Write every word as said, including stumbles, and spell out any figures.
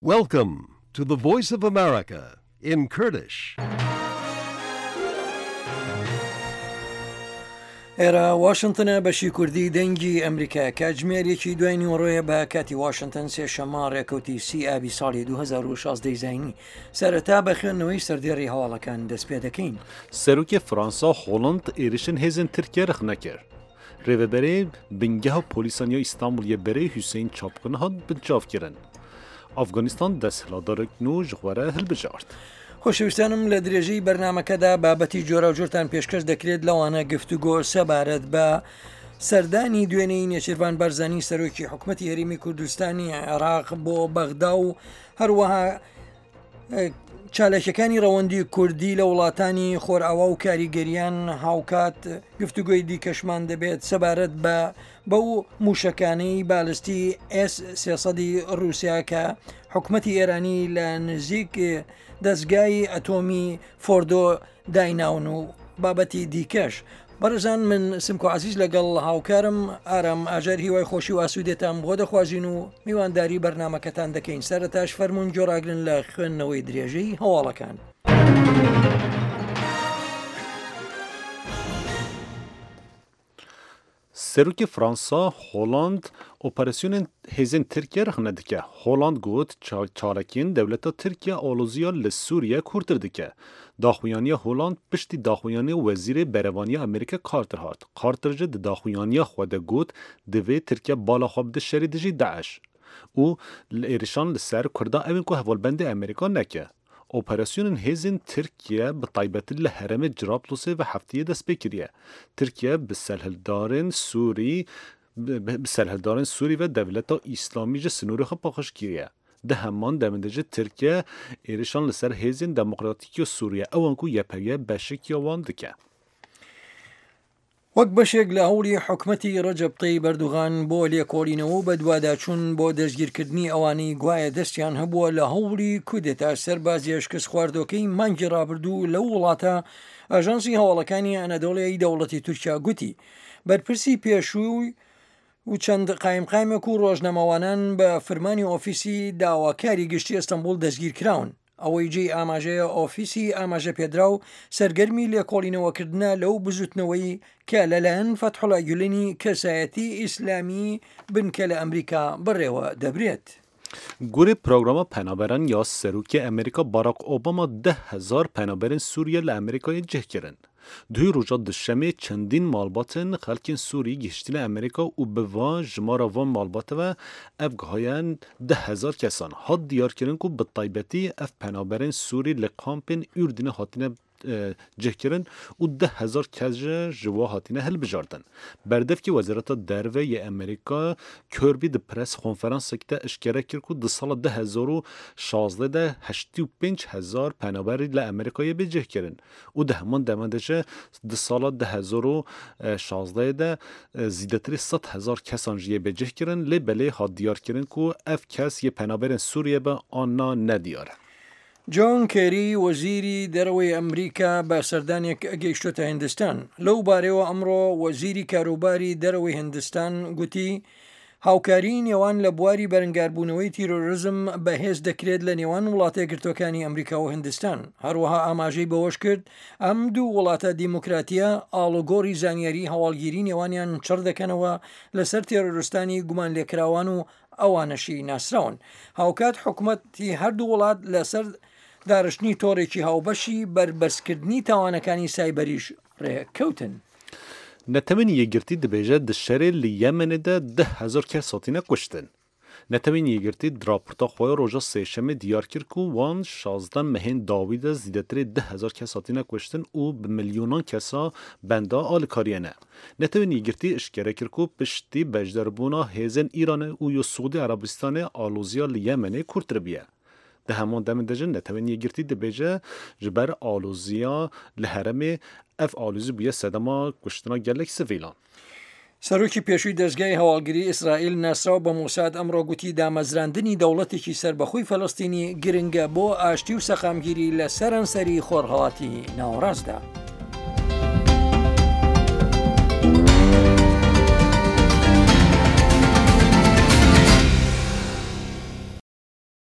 Welcome to the Voice of America in Kurdish. ئێرە واشنتنە بەشی کوردی دەنگی ئەمریکا کاتژمێرێکی دوای نیوەڕۆیە بە کاتی واشنتن سێشەممە ڕێکەوتی سی ئابی ساڵی دوو هەزار و شازدە زایینی. سەرەتا بە خوێندنەوەی سەردێڕی هەواڵەکان دەست پێ دەکەین. سەرۆکی فەرەنسا هۆڵند êrişên hêzên Tirkiye rexne kir. Rêveberê bingeha polîsan ya Îstanbulê berê Hüseyin Çapkın hat binçavkirin. Afganistan desthilatdarek nû ji xwe re hilbijart. خۆشەویستانم لە درێژەی بەرنامەکەدا بابەتی جۆراوجۆرتان پێشکەش دەکرێت لەوانە گفتوگۆ سەبارەت بە سەردانی دوێنێی نێچیرڤان بارزانی سەرۆکی حکوومەتی هەرێمی کوردستانی عێراق بۆ بەغدا و هەروەها چالاکیەکانی ڕەوەندی کوردی لە وڵاتانی خۆرئاوا و کاریگەریان. هاوکات گفتوگۆی دیکەشمان دەبێت سەبارەت بە بەو موشەکانەی بالستی ئێس سێسەدی رووسیا کە حکوومەتی ئێرانی لە نزیک دەستگای ئەتۆمی فۆردۆ دایناون و بابەتی دیکەش. بەڕێزان من سمکۆ عەزیز لەگەڵ هاوکارم ئارام ئاژەر هیوای خۆشی و ئاسوودێتان بۆ دەخوازین و میوانداری بەرنامەکەتان دەکەین. سەرەتاش فەرمونون گۆڕاگرن لە خوێندنەوەی درێژەی هەواڵەکان. سەرۆکی فەرەنسا هۆڵند operasyonên hêzên Tirkiye rexne dike. Hollande got çalakiyên dewleta Tirkiye aloziya li Sûriye kûrtir dike. Daxuyaniya Hollande piştî daxuyaniya Wezîrê Berevaniya Amerîka Carter hat. Carter jî di daxuyaniya xwe de got divê Tirkiye bala xwe bide şerê dijî DAIŞ û li êrişan li ser Kurda ew ên ku hevalbendê Amerîka neke. Operasyonên hêzên Tirkiye bi taybetî li herêmê Cerablûsê ve hefteyê dest pê kiriye. Tirkiye bi serhildarên Sûrî bi serhildarên Sûrî ve dewleta Îslamî ji sinorê xwe paqij kiriye. Di heman demê de jî Tirkiye êrişan li ser hêzên demokratîk ya Sûriye ew ên ku Y P G beşekiya wan dike. وەک بەشێک لە هەوڵی حکومەتی ڕەجەب تەیب ئەردۆغان بۆ لێکۆڵینەوە و بەدواداچوون بۆ دەستگیرکردنی ئەوانەی گوایە دەستیان هەبووە لە هەوڵی کودێتا سەربازیە شکست خواردۆکەی مانگی ڕابردوو لەو وڵاتە، ئاژانسی هەواڵەکانی ئەنەدۆڵیای دەوڵەتی تورکیا گوتی بەرپرسی پێشووی و چەند قایمقایمێک و ڕۆژنامەوانان بە فرمانی ئۆفیسی داواکاری گشتی ئەستەنبوڵ دەستگیر کراون. ئەوەی جێی ئاماژەیە ئۆفیسی ئاماژە پێدراو سەرگەرمی لێکۆڵینەوەکردنە لەو بزوتنەوەی کە لەلایەن فەتحوڵا گولێنی کەسایەتی ئیسلامی بنکە لە ئەمریکا بڕێوە دەبرێت. گورê programa penaberan ya Serokê Amerîka Barack Obama deh hezar penaberên Sûriye li Amerîkayê cih kirin. Duhî roja duşemê çendîn malbatên xelkên Sûrî gihiştine Amerîka û bi van jimara van malbatê ve ev gihayen deh hezar kesan. Hat diyarkirin ku bi taybetî ev penaberên Sûrî li kampên Urdunê hatine cihkirin û deh hezar kes ji ji wan hatine hilbijartin. Berdevkê Wezareta Derve yê Amerîka Kirby di press konferansek de eşkere kir ku di sala du hezar û şazdeh de heştî û pênc hezar penaberî li Amerîkayê bê cihkirin û di heman demê de jî di sala du hezar û şazdeh de zêdetirî sed hezar kesan jî yê bê cihkirin lê belê hat diyarkirin ku ev kes yê penaberên Sûriye be an na nediyar e. جۆن کێری وەزیری دەرەوەی ئەمریکا بە سەردانێک گەیشتۆتە هندستان. لەو بارەوە ئەمڕۆ وەزیری کاروباری دەرەوەی هندستان گوتی هاوکاری نێوان لە بواری بەرەنگاربوونەوەی تیرۆریزم بەهێز دەکرێت لە نێوان وڵاتە یەکگرتووەکانی ئەمریکا و هندستان. هەروەها ئاماژەی بەوەش کرد ئەم دوو وڵاتە دیموکراتیە ئاڵوگۆڕی زانیاری هەواڵگیری نێوانیان چڕ دەکەنەوە لەسەر تیرۆریستانی گومان لێکراوان و ئەوانەشی ناسراون. هاوکات حکوومەتی هەردوو وڵات لەسەر دارشتنی تۆڕێکی هاوبەشی بەربەستکردنی تاوانەکانی سایبەریش ڕێککەوتن. Netewên Yekgirtî dibêje di şerê li Yemenê de deh hezar kes hatine kuştin. Netewên Yekgirtî di raporta xwe ya roja sêşemê diyar kir ku wan şazdeh mehên dawî de zêdetirê deh hezar kes hatine kuştin û bi milyonan kesa benda alîkariyê ne. Netewên Yekgirtî eşkere kir ku piştî beşdarbûna hêzên Îranê û ya Siûdî Erebistanê aloziya li Yemenê kûrtir bûye. Di heman demê de jî Netewên Yekgirtî dibêje ji ber aloziya li herêmê ev alozî bûye sedema kuştina gelek sivîlan. سەرۆکی پێشووی دەستگای هەواڵگری ئیسرائیل ناسراو بە مۆساد ئەمڕۆ گوتی دامەزراندنی دەوڵەتێکی سەربەخۆی فەلەستینی گرنگە بۆ ئاشتی و سەقامگیری لە سەرانسەری خۆرهەڵاتی ناوەڕاستدا.